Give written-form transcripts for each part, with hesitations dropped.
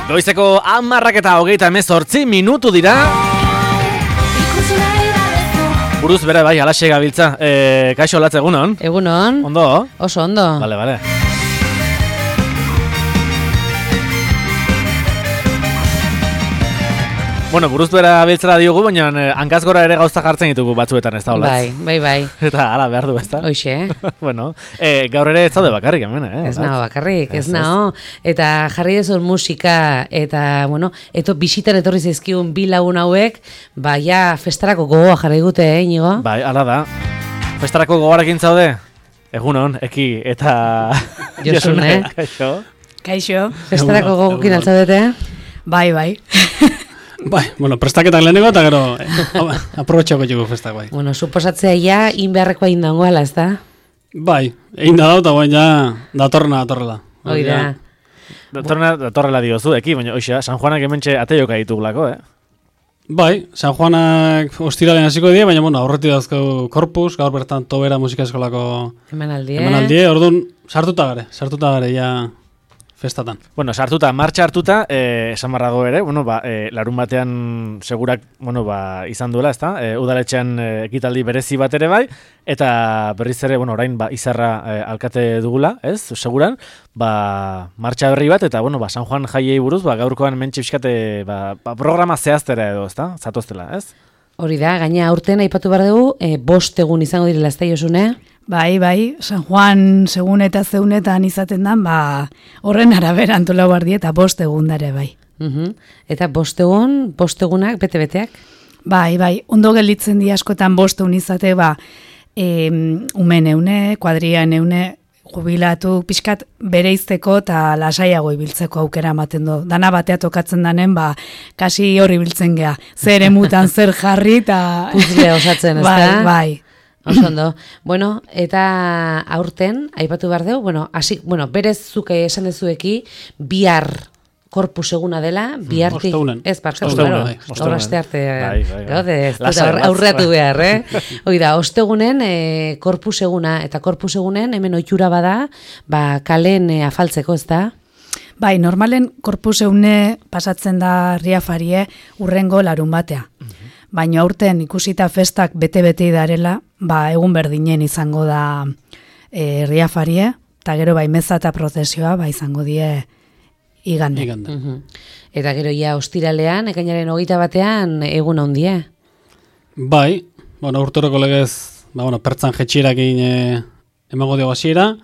Goizeko 10:28 dira. Buruz bere bai, alaxe gabiltza. Kaixo latz egunon? Egunon. Ondo? Oso ondo. Vale. Bueno, buruz bera biltzera diogu, baina hankaz gora ere gauza jartzen ditugu batzuetan, ez da holatz? Bai. Eta hala behar du, ez da? Hoixe. Bueno, gaur ere ez zaude bakarrik hemen, Ez nago bakarrik, ez nago. Eta jarri dezun musika, eta, bueno, bisitan etorri zizkigun bi lagun hauek, ja festarako gogoa jarri gute, Inigo? Bai, hala da. Festarako gogoarekin zaude? Egunon, Eki, eta... Josune. Kaixo. Festarako gogokin altzaudete? Bai. Bai, bueno, prestaketak lehenengo eta gero aprobetxako jugu festak, bai. Bueno, suposatzea ja, inbeharrekoa indangoala, ez da? Bai, egin da eta baina datorrela. Hoi da. Datorrela diozu, Eki, baina oixa, San Juanak hementxe ateioka ditugulako, Bai, San Juanak ostiralean hasiko die, baina bueno, aurretik dazko Korpus, gaur bertan Tobera musika eskolako emanaldie, orduan sartuta gare, ja festatan. Bueno, sartuta, martxa hartuta, esan barrago ere, bueno, larun batean segurak, bueno, izan duela, ezta? Udaletxean ekitaldi berezi bat ere bai, eta berriz ere, bueno, orain izarra alkate dugula, ez? Seguran, martxa berri bat, eta, bueno, San Juan jaiei buruz, gaurkoan mentxe fiskate, programa zehaztera edo, ezta? Zatoztela, ez? Hori da, gaina aurten aipatu behar dugu, 5 egun izango direla, ez da, Josune? Bai, San Juan segun eta zeunetan izaten dan, horren arabera antolau bardi eta 5 egun dare, bai. Eta 5 egunak, bete-beteak? Bai, ondo gelditzen di askotan 5 egun izate, umen eune, kuadrian eune, jubilatu, pixkat bereizteko eta lasaiago ibiltzeko aukera ematen du. Dana batea tokatzen danen, kasi hori biltzen gea. Zer emutan, zer jarri, eta... Puzle osatzen, ez da? Bai. Oso ondo. Bueno, eta aurten, aipatu behar dugu, berez zuke esan dezueki, bihar Korpus eguna dela, bihartik... Ez, horrazte arte, aurreatu behar, Hoi da, ostegunen Korpus eguna, eta Korpus egunen hemen ohitura bada, kalen afaltzeko, ez da? Bai, normalen Korpus egune pasatzen da riafarie urrengo larun batea. Baina aurten ikusita festak bete-bete darela, egun berdinen izango da riafarie, eta gero meza eta prozesioa izango die igande. Eta gero ja ostiralean, ekainaren 21 egun handie. Bai, urteroko legez, pertzan jetxierakin emango dio hasiera,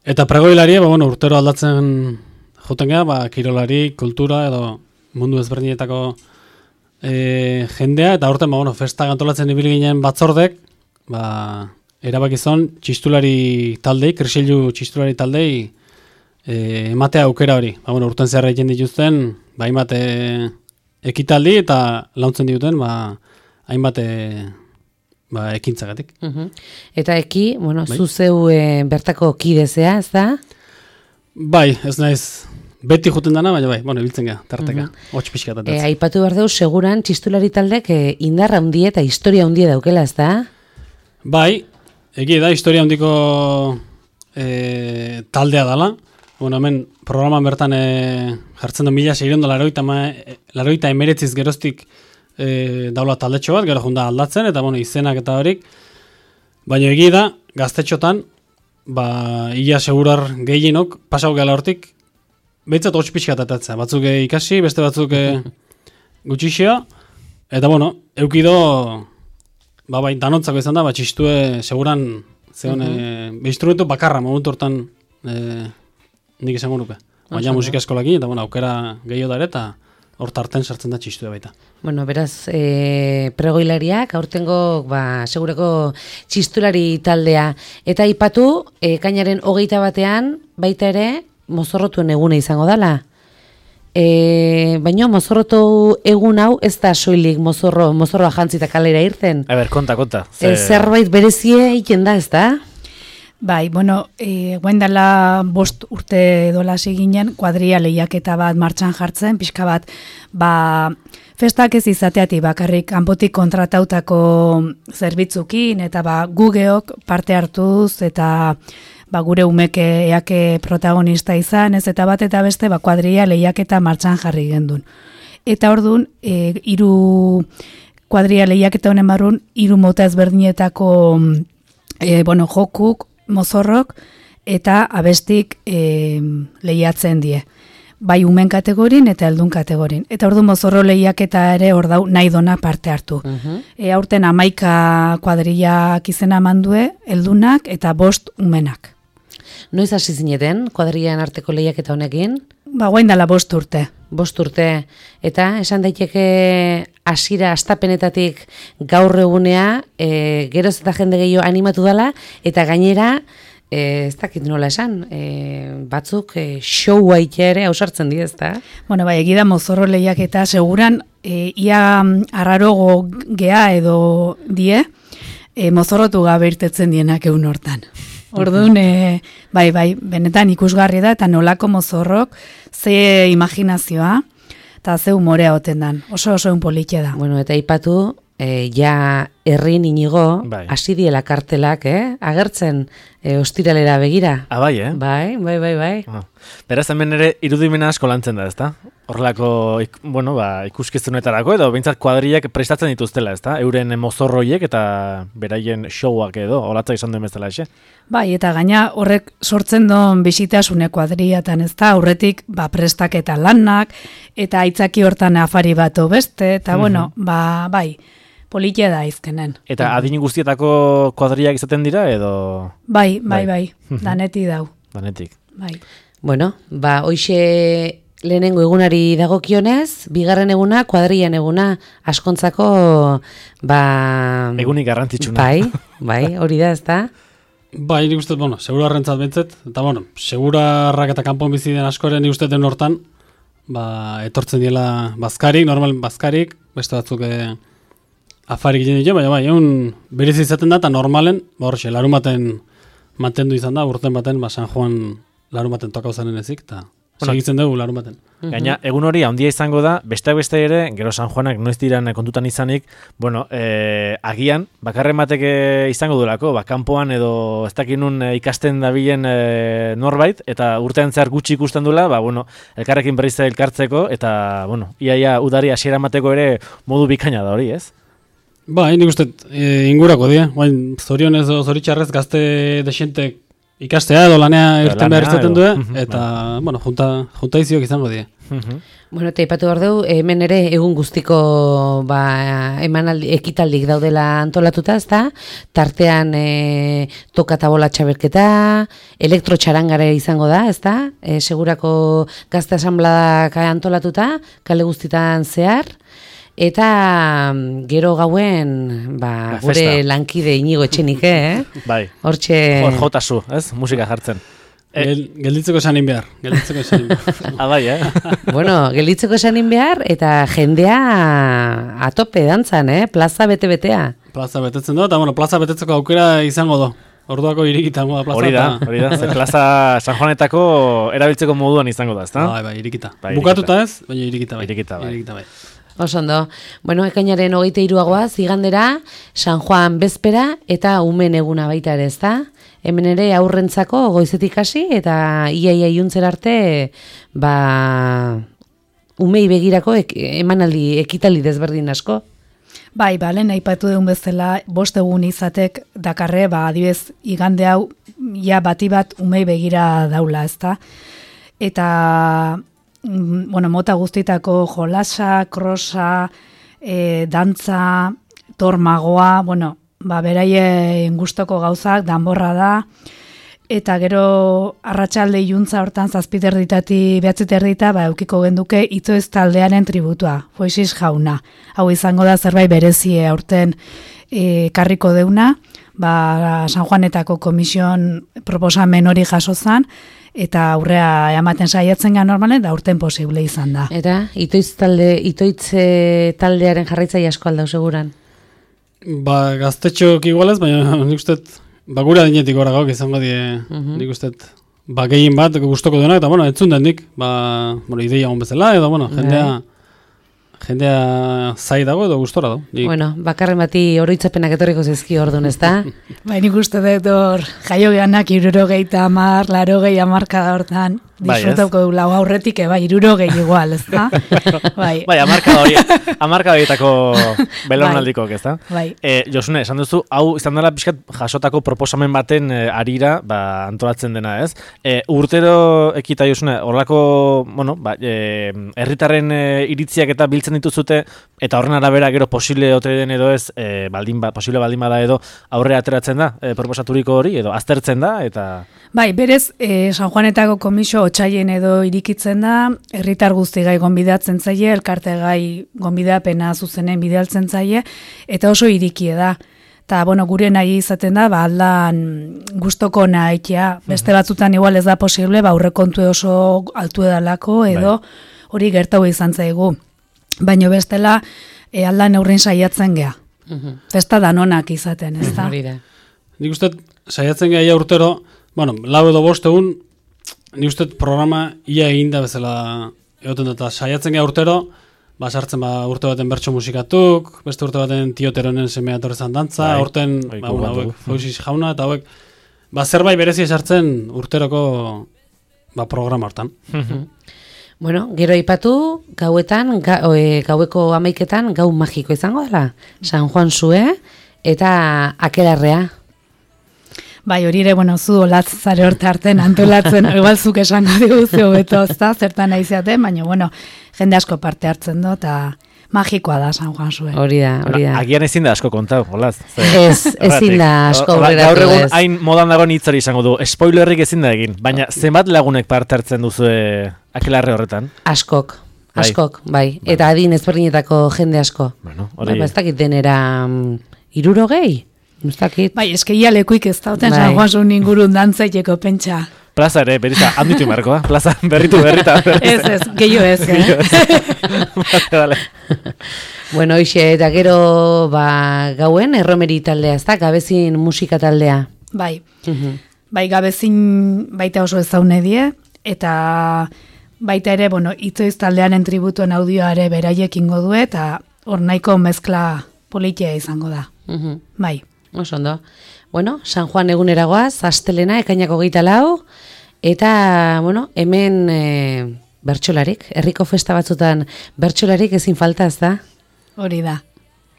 eta pregoilarie, urtero aldatzen joten geha, kirolari, kultura edo mundu ezberdinetako jendea, eta aurten festak antolatzen ibili ginen batzordek, erabakizon txistulari taldei, Krisilu txistulari taldei ematea aukera hori. Urten zehar egiten dituzten, hainbat ekitaldi eta launtzen dituten, hainbat ekintzagatik. Eta zuzeu bertako kidezea, ez da? Bai, ez naiz beti juten dana, baina ibiltzen gara, tarteka, hotx pixka eta aipatu behar dugu, seguran txistulari taldek indarra hundie eta historia hundie daukela, ez da? Bai, egi da, historia hundiko taldea dala. Hemen programan bertan jartzen du 1689 geroztik daula taldetxo bat, gero junda aldatzen, eta izenak eta horik. Baina egi da, gaztetxotan, ia segurar gehienok, pasau gala hortik, behitzat hotx pixka atatzea, batzuk ikasi, beste batzuk gutxixea, eta eukido, danontzako izan da, txistue seguran, instrumentu bakarra, momentu hortan nik izango nuke. Baina musika eskolakin, eta aukera gehiago dara, eta hor tarten sartzen da txistue baita. Beraz, pregoilariak, aurtengo, segureko txistulari taldea, eta aipatu, kainaren 21 baita ere, mozorrotuen egune izango dela. Baina mozorrotu egun hau ez da soilik mozorroa jantzita kalera irten. Konta. Zerbait berezie egiten da, ez da? Bai, guen dela 5 urte dola ginen, kuadria lehiaketa bat martxan jartzen, pixka bat, festak ez izateati bakarrik kanpotik kontratautako zerbitzukin, eta gugeok parte hartuz, eta gure umeke eake protagonista izan, ez eta bat eta beste, kuadrilla lehiaketa martxan jarri gendun. Eta orduan, 3 kuadrilla lehiaketa honen barrun, 3 mota ezberdinetako jokuk, mozorrok, eta abestik lehiatzen die. Bai umen kategorin eta heldun kategorin. Eta ordu mozorro lehiaketa ere hor dau nahi dona parte hartu. Aurten 11 kuadrillak izena mandue, heldunak eta 5 umenak. Noiz hasi zineten kuadrillan arteko lehiaketa honekin? Guain dela 5 urte. 5 urte. Eta esan daiteke hasiera astapenetatik gaur egunea, geroz eta jende gehiago animatu dela, eta gainera, ez dakit nola esan, batzuk show ere ausartzen di, ezta? Bueno, egida mozorro lehiaketa seguran ia arrarogo gea edo die mozorrotu gabe irtetzen dienak egun hortan. Orduan, bai, benetan ikusgarri da eta nolako mozorrok ze imaginazioa eta ze humorea oten dan. Oso un politia da. Bueno, eta ipatu, ja herrin inigo, hasi diela kartelak, agertzen ostiralera begira. Bai, Bai. Beraz, hemen ere irudimena asko lantzen da, ezta? Horrelako, ikuskizunetarako, edo behintzat kuadrillak prestatzen dituztela, ezta? Euren mozorroiek eta beraien showak edo, holatza izan duen bezala, exe? Bai, eta gaina horrek sortzen don bisitasune kuadrillatan, ezta? Aurretik, prestaketa lanak, eta aitzaki hortan afari bat beste, eta bai, politia da izkenen. Eta adin guztietako kuadrillak izaten dira, edo? Bai, daneti dau. Danetik. Bai. Bueno, hoixe lehenengo egunari dagokionez, bigarren eguna, kuadrillan eguna, askontzako, egunik garrantzitsuna. Bai, hori da, ezta? Bai, nik uste, segurarrentzat bentzet, eta segurarrak eta kanpon bizi den askoren nik uste den hortan, etortzen diela bazkarik, normal bazkarik, beste batzuk afarik egin ditu, baina egun berez izaten da, eta normalen, horxe, larumaten mantendu izan da, urten baten, San Juan larumaten tokau zanen ezik, eta segitzen dugu larumaten. Gaina, egun hori handia izango da, besteak beste ere, gero San Juanak noiz diran kontutan izanik, agian, bakarren batek izango duelako, kanpoan edo ez dakinun ikasten dabilen norbait, eta urtean zehar gutxi ikusten duela, elkarrekin berriz elkartzeko, eta, iaia udari hasiera mateko ere modu bikaina da hori, ez? Nik uste, ingurako dira, zorionez o zoritxarrez gazte desentek ikastea edo lanea irten behar izaten du, eta, junta iziok izango dira. Eta ipatu behar dugu, hemen ere egun guztiko ekitaldik daudela antolatuta, ezta? Tartean toka eta bola txaberketa, elektrotxarangare izango da, ezta? Segurako gazte asanbladak antolatuta, kale guztitan zehar, eta gero gauen gure lankide Inigo Etxenik, Bai, hortxe... Hor jotazu, ez? Musika jartzen. Gelditzeko esanin behar. Bai, gelditzeko esanin behar, eta jendea atope dantzan, plaza bete-betea. Plaza betetzen du, eta plaza betetzeko aukera izango do. Orduako irikita da plaza. Hori da, ze plaza San Juanetako erabiltzeko moduan izango da, ezta? Bai, irikita. Bukatuta ez, baina irikita bai. Osondo. Ekainaren 23 igandera, San Juan bezpera eta umen eguna baita ere, ezta? Hemen ere aurrentzako goizetik hasi eta iaia iuntzer arte umei begirako emanaldi ekitaldi desberdin asko. Bai, lehen aipatu dugun bezala 5 egun izatek dakarre, adibez igande hau ja bati bat umei begira daula, ezta? Eta mota guztitako jolasa, krosa, dantza, tormagoa, beraien gustoko gauzak, danborra da, eta gero arratsalde iluntza hortan 7:30 9:30 eukiko genduke Itzoez taldearen tributua, Foixis jauna. Hau izango da zerbait berezie aurten karriko deuna, San Juanetako komisioan proposamen hori jaso zan, eta aurrea ematen saiatzen ga normalen, da urten posible izan da. Eta Itoitz taldearen jarraitzaile asko aldau seguran? Gaztetxok igualez, baina nik uste gure adinetik gora gauk izango die, nik uste gehien bat gustoko duenak, eta entzun den nik, ideia hon bezala, edo jendea jendea zai dago edo gustora dago. Bueno, bakarren bati oroitzapenak etorriko zizki orduan, ezta? Nik uste dut hor, jaio gehanak 70, 80 hamarkada hortan, disfrutauko du lau aurretik, 70 igual, ezta? Bai, hamarkada horietako belaunaldikoak, ezta? Bai. Josune, esan duzu, hau izan dela pixkat jasotako proposamen baten arira, antolatzen dena, ez? Urtero ekita, Josune, horrelako, herritarren iritziak eta biltzen dituzute, eta horren arabera gero posible ote den edo ez, posible baldin bada edo aurre ateratzen da, proposaturiko hori, edo aztertzen da, eta... Bai, berez, San Juanetako komisio otsaien edo irikitzen da, herritar guzti gai gonbidatzen zaie, elkarte gai gonbidapena zuzenen bidaltzen zaie, eta oso irikie da. Eta, gure nahi izaten da, aldan gustoko nahitea, beste batzutan igual ez da posible, aurrekontu oso altu edalako, edo hori gertau izan zaigu. Baina bestela, aldan neurrin saiatzen gea. Festa danonak izaten, ez da? Nik uste, saiatzen gea urtero, 4 edo 5 egun, nik uste programa ia eginda bezala egoten dut, saiatzen gea urtero, sartzen urte baten bertso musikatuk, beste urte baten Tioteronen semea torrezan dantza, urten hauek Foixis jauna, eta hauek zerbait berezi esartzen urteroko programa hortan. Bueno, gero aipatu, gauetan, gaueko 11etan, gau magiko izango dela, San Juan Zue eta Akelarrea. Bai, hori ere, zu olatz zare horte arten antolatzen, igual zuk esango diguzio beto, zertan aizeaten, baina, jende asko parte hartzen do, eta magikoa da San Juan Zue. Hori da. Agian ezin da asko kontau, olaz. Ezin da asko horretatu ez. Gaur egun hain modan dago hitzari izango du, spoilerrik ezin da egin, baina zenbat lagunek parte hartzen duzu Akelarre horretan? Askok, bai. Eta adin ezberdinetako jende asko. Ez dakit denera 60? Bai, eskeia lekuik ez dauten San Juan Zuen ingurun dantzaiteko pentsa. Plaza ere, berita, handitu markoa. Plaza, berritu. Ez, gehiago ez. Vale. Bueno, hoxe, eta gero gauen erromeri taldea, ez da? Gabezin musika taldea. Bai. Bai, gabezin baita oso ezaune die, eta baita ere, itzoiz taldearen tributuen audioare beraiek ingo du, eta hor nahiko mezkla politia izango da. Bai. Oso ondo. Bueno, San Juan eguneragoaz, astelena, ekainako 24, eta, hemen bertsolarik, herriko festa batzutan bertsolarik ezin falta, ez da? Hori da.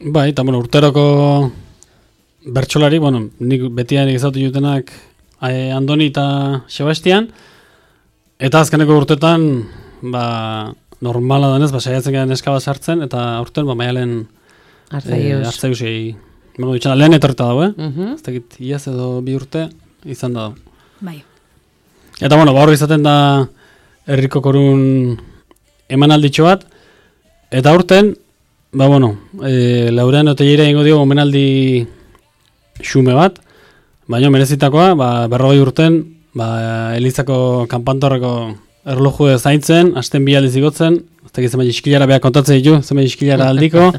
Bai, eta, urteroko bertsolari, nik betian egizatu jutenak Andoni eta Sebastian, eta azkeneko urtetan, normala danez, saiatzen gara neska bat sartzen, eta urten, maialen Artzaiusei lehen etorreta dago, ez dakit iaz edo 2 urte izan da. Bai. Eta hor izaten da herriko korun emanalditxo bat, eta urten, Laurean Oteillera ingo dio omenaldi xume bat, baina merezitakoa, 40 urten, Elizako kanpantorreko erloju zaintzen, hasten 2 aldiz igotzen, ez dakit zenbait iskilara behar kontatzen ditu, zenbait iskilara aldiko,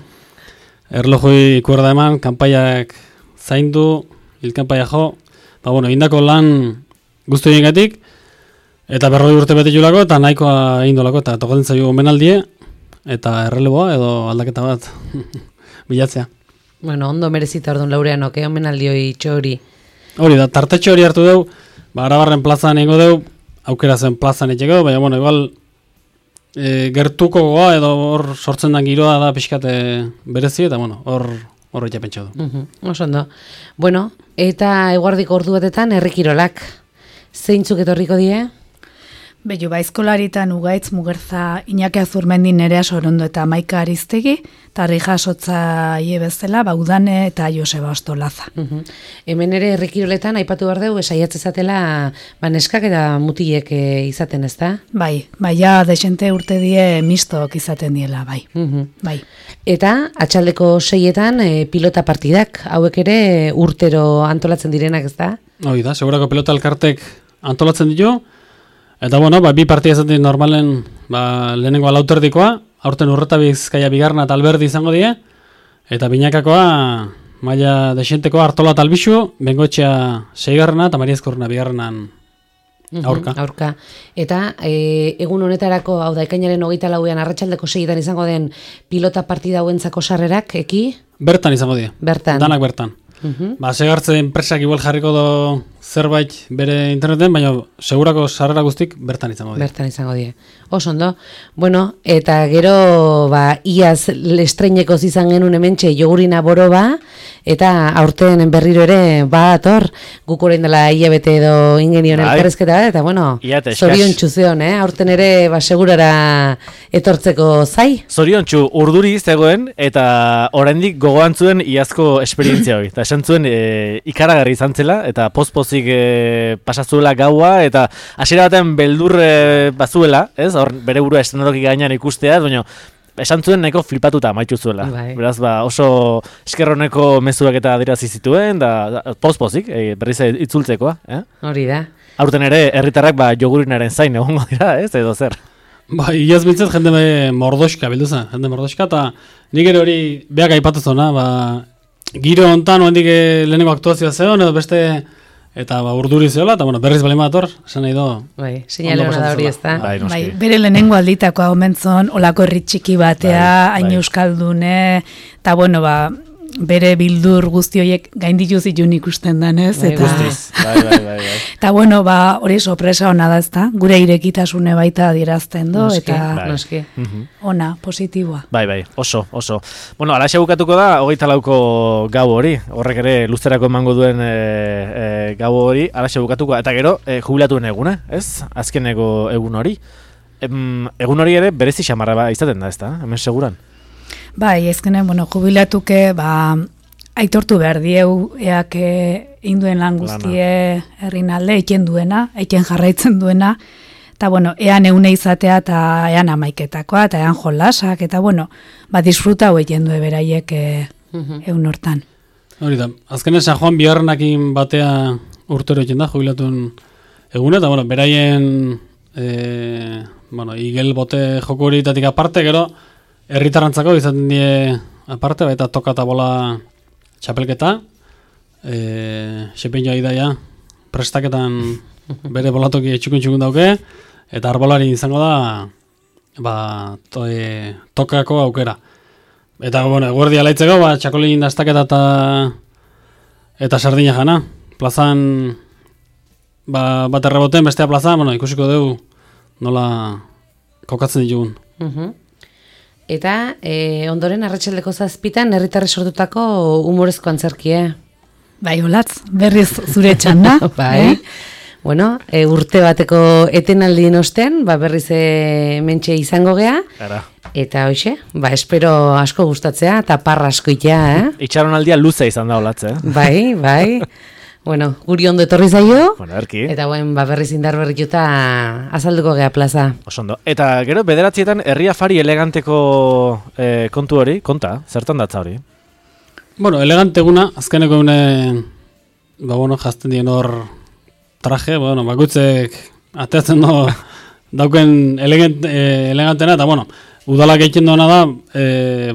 erlojoi kuerda eman, kanpaiak zaindu, hilkanpaia jo, indako lan guztu egingatik, eta 40 urte bete julako, eta nahikoa indolako, eta tokatzen zaio omenaldie, eta erreleboa edo aldaketa bat bilatzea. Ondo merezita orduan Laureanok, omenaldioi txori. Hori da, tartetxo hori hartu deu, Arabarren plazan ingo deu, aukera zen plazan etxeko, baina, igual, gertuko goa edo hor sortzen den giroa da pixkate berezi, eta hor etxe pentsa du. Oso ondo. Bueno, eta eguardiko ordu batetan herrikirolak. Zeintzuk etorriko die? Beio, eskolaritan Ugaitz Mugerza Iñaki Azurmendi Nerea Sorondo eta Maika Aristegi, eta jasotza bezala, Udane eta Joseba Ostolaza. Hemen ere herrikiroletan aipatu behar dugu, saiatzezatela neskak eta mutilek izaten, ez da? Bai, ja, desente urte die mistok izaten diela, bai. Bai. Eta, atxaldeko 6etan pilota partidak, hauek ere urtero antolatzen direnak, ez da? Hoi da, segurako pilota elkartek antolatzen ditu, eta, 2 partia ezaten normalen, lehenengoa lauterdikoa, aurten Urreta Bizkaia bigarna eta Alberdi izango die, eta binakakoa, maila desentekoa Artola eta Albixu, Bengoetxea 6garrena eta Maria Ezkorrena bigarrenan Aurka. Eta egun honetarako, hau da, ekainaren 24ean arratsaldeko 6etan izango den pilota partida hauentzako sarrerak, eki? Bertan izango dira. Danak bertan. Segartze enpresak igual jarriko do zerbait bere interneten, baina segurako sarrera guztik bertan izango dira. Oso ondo. Bueno, eta gero iaz estreineko izan genuen hementxe jogurina boroba, eta aurten berriro ere ator, guk orain dela hilabete edo ingenion elkarrezketa, eta bueno, zorion txuzion, aurten ere segurara etortzeko zai. Zorion txu, urduri zegoen, eta oraindik gogoan zuen iazko esperientzia hori. Eta esan zuen ikaragarri izan zela, eta poz-pozik pasazuela gaua, eta hasiera batean beldur bazuela, ez? Hor bere burua eszenatoki gainean ikustea, baina esan zuen nahiko flipatuta amaitu zuela. Beraz, oso eskerroneko mezuak eta adirazi zituen, da poz-pozik, berriz itzultzekoa. Hori da. Aurten ere, herritarrak jogurinaren zain egongo dira, ez? Edo zer. Iaz bintzat jende mordoska bilduza, jende mordoska, eta nik ere hori beak aipatu zona, giro hontan oendik lehenengo aktuazioa zeon, edo beste... Eta urduri zeola, eta berriz bali mator, esan nahi do. Seinale hona da hori ez da. Bere lehenengo alditakoa omentzon, olako herri txiki batea, hain euskaldune, eta bere bildur guzti horiek gainditu zituen ikusten danez. Guztiz, Eta hori sorpresa ona da ezta, gure irekitasune baita adierazten do, eta ona, positiboa. Oso. Alaxe bukatuko da, 24ko gau hori, horrek ere luzerako emango duen gau hori, alaxe bukatuko, eta gero jubilatuen eguna, ez? Azkeneko egun hori. Egun hori ere berezi xamarra izaten da, ez da? Hemen seguran. Ezkenen, jubilatuke, aitortu behar dieu, eak induen lan guztie herrin alde, eken duena, eken jarraitzen duena, eta, ean eune izatea, eta ean amaiketakoa, eta ean jolasak, eta, disfruta hau eken due beraiek egun hortan. Hori da, azkenen San Juan biharrenakin batea urtero eken da, jubilatuen egune, eta, beraien, igel bote joko horitatik aparte, gero, herritarrantzako izaten die aparte, baita toka eta bola txapelketa, xepein idaia prestaketan bere bolatoki txukun dauke, eta arbolari izango da tokako aukera. Eta, eguerdia laitzeko, txakolin dastaketa eta sardina jana. Plazan, bat erreboten, bestea plazan, ikusiko dugu nola kokatzen ditugun. Eta ondoren arratsaldeko 7 herritarrek sortutako humorezko antzerkie. Olatz, berriz zure txanda. Urte bateko etenaldien osten, berriz mentxe izango gea. Eta hoxe, espero asko gustatzea, eta parra asko itea, Itxaronaldia luze izan da Olatz, Bai. Guri ondo etorri zaio, erki. Eta berriz indar berrituta azalduko gea plaza. Osondo. Eta gero, 9 herri afari eleganteko kontu hori, zertan datza hori? Elegante guna, azkeneko egune, jazten dien hor traje, bakutzek ateatzen dauken elegantena, eta udalak egiten duena da,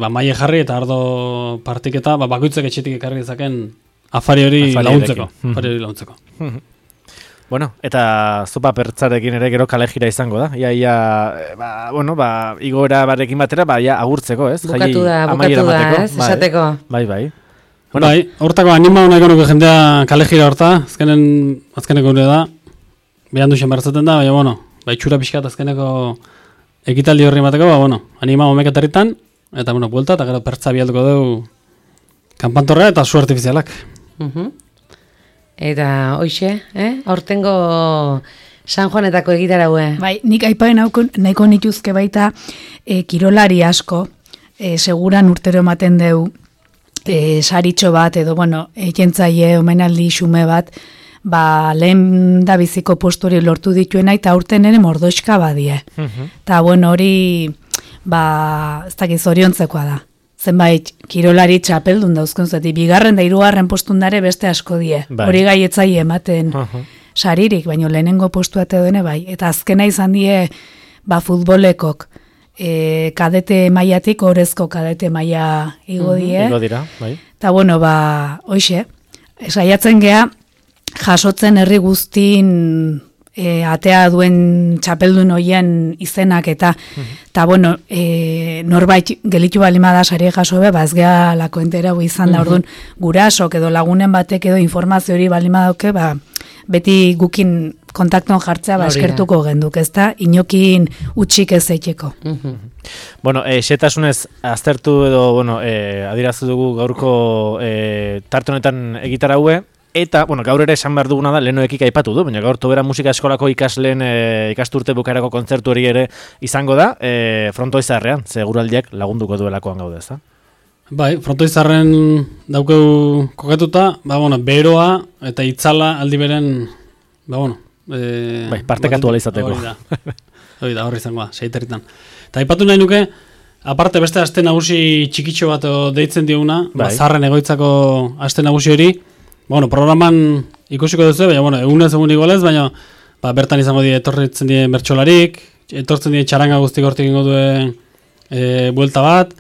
maile jarri eta ardo partiketa, bakutzek etxetik ekarri dezaken afari hori launtzeko. Eta zopa pertzarekin ere gero kalejira izango da. Igoera barekin batera, agurtzeko, ez? Bukatu da, ez? Esateko. Bai. Hortako anima hona ikonuko jendea kalejira horta, azkeneko gure da, behan duxen bertzaten da, itxura pixkat azkeneko ekitaldi horri bateko, anima homeketarritan, eta buelta, eta gero pertza bialduko dugu kanpantorrea eta su artifizialak. Eta hoxe, aurtengo San Juanetako egitaraue. Nik aipain nahiko nituzke baita kirolari asko, seguran urtero ematen deu saritxo bat, edo ekentzaile omenaldi xume bat, lehen da biziko posturi lortu dituena, eta aurten ere mordoxka badie. Eta hori, ez dakiz oriontzekoa da. Zenbait, kirolari txapeldun dauzkun zati, 2. da 3. postundare beste asko die. Hori gaietzai ematen saririk, baina lehenengo postuate duene bai. Eta azkena izan die, futbolekok, kadete mailatik, orezko kadete maila igo die. Igo dira, bai. Eta hoxe, saiatzen gea, jasotzen herri guztin atea duen txapeldun hoien izenak eta bueno, norbait gelitu balima da sari jaso be, ez gea lako entera izan da, orduan gurasok edo lagunen batek edo informazio hori balima dauke, beti gukin kontaktuan jartzea eskertuko genduk, ezta inokin utxik ez eiteko. Bueno, xetasunez aztertu edo, bueno, adieraztu dugu gaurko tarte honetan egitar haue, eta, bueno, gaur ere esan behar duguna da, lehenoekik aipatu du, baina gaur Tobera Musika Eskolako ikasleen ikasturte bukaerako kontzertu hori ere izango da, Frontoizarrean, seguraldiak lagunduko duelakoan gaude, ezta? Bai, Frontoizarren daukeu kokatuta, bueno, beroa eta itzala aldi beren, bueno, bai, partekatu ala izateko. Hori da, horri izangoa, seiterritan. Eta aipatu nahi nuke, aparte beste aste nagusi txikitxo bat deitzen dioguna, Zarren egoitzako aste nagusi hori, bueno, programan ikusiko duzu, baina, bueno, egunez egun igolez, baina bertan izango etortzen die bertsolarik, etortzen die txaranga guztik hortik ingo duen buelta bat,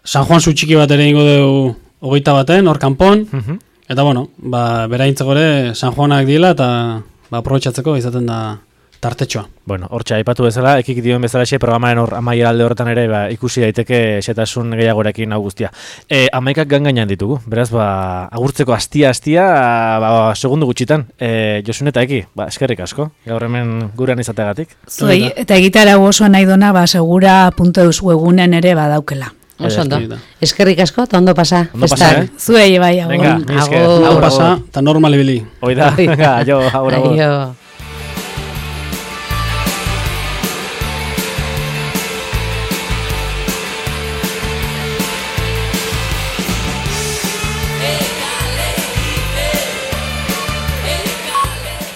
San Juan zu txiki bat ere ingo du 21 hor kanpon, eta, bueno, beraintzeko ere San Juanak diela, eta aprobetxatzeko izaten da tartetxoa. Bueno, hortxe aipatu bezala, ekik dioen bezala programaren amaiera alde horretan ere ikusi daiteke xetasun gehiagorekin hau guztia. 11 gangainan ditugu, beraz, agurtzeko astia, segundu gutxitan. Josun eta Eki, eskerrik asko, gaur hemen gurean izategatik. Zuei, eta egitara oso nahi dona, segura.eus webunen ere badaukela. Oso ondo. Eskerrik asko, eta ondo pasa. Zuei, bai, agur. Venga, ondo pasa, eta normal ibili. Oida, venga, aio, agur.